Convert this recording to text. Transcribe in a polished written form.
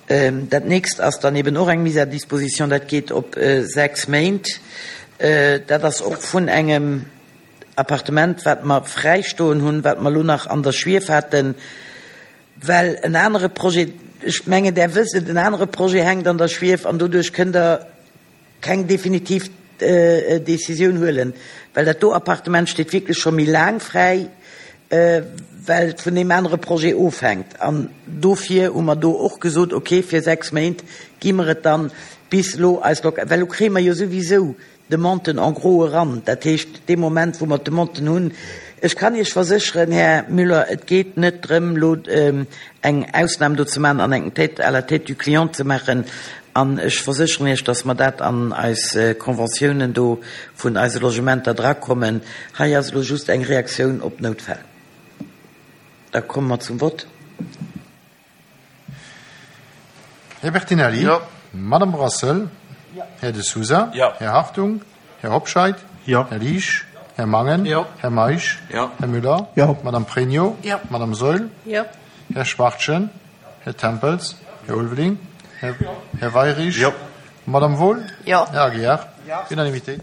Dat nächst ass dann eben och eng Mise à disposition, dat geet op 6 Méint. Dat ass och vun engem Appartement, wat mer fräistoen hunn, wat mer elo nach an der Schwief haten, well en anere Projet, ech mengen Der wësst et, en anere Projet hänkt an der Schwief an doduerch kënnt Der keng definitiv Décisioun huelen, well dat do Appartement steet wierklech scho méi laang fräi, well et vun deem anere Projet ofhänkt. An dofir hu mer do och gesot, okay, fir 6 Méint gi mer et dann bis elo eis Loc-, well elo kréie mer jo souwisou Demanden en gros eran. Dat heescht, dee Moment, wou mer d'Demanden hunn, ech kann Iech versécheren, Här Müller, et geet net drëm, elo eng Ausnam do ze maachen an eng Tête à la tête du client ze maachen. An ech versécheren Iech, dass mer dat an eis Conventiounen do vun eise Logementer drakommen. Hei ass elo just eng Reaktioun op Noutfäll. Da komme mer zum Vott. Här Bertinelli? Jo. Madame Brassel? Jo. Här De Sousa? Jo. Här Hartung? Här Hobscheit? Jo. Här Liesch? Här Mangen? Jo. Här Meisch? Jo. Här Müller? Jo. Madame Pregno? Jo. Madame Saeul? Jo. Här Schwachtgen? Här Tempels? Här Ulveling? Här Weyrich? Jo. Madame Wohl? Jo. Här Aguiar? Jo. Unanimité.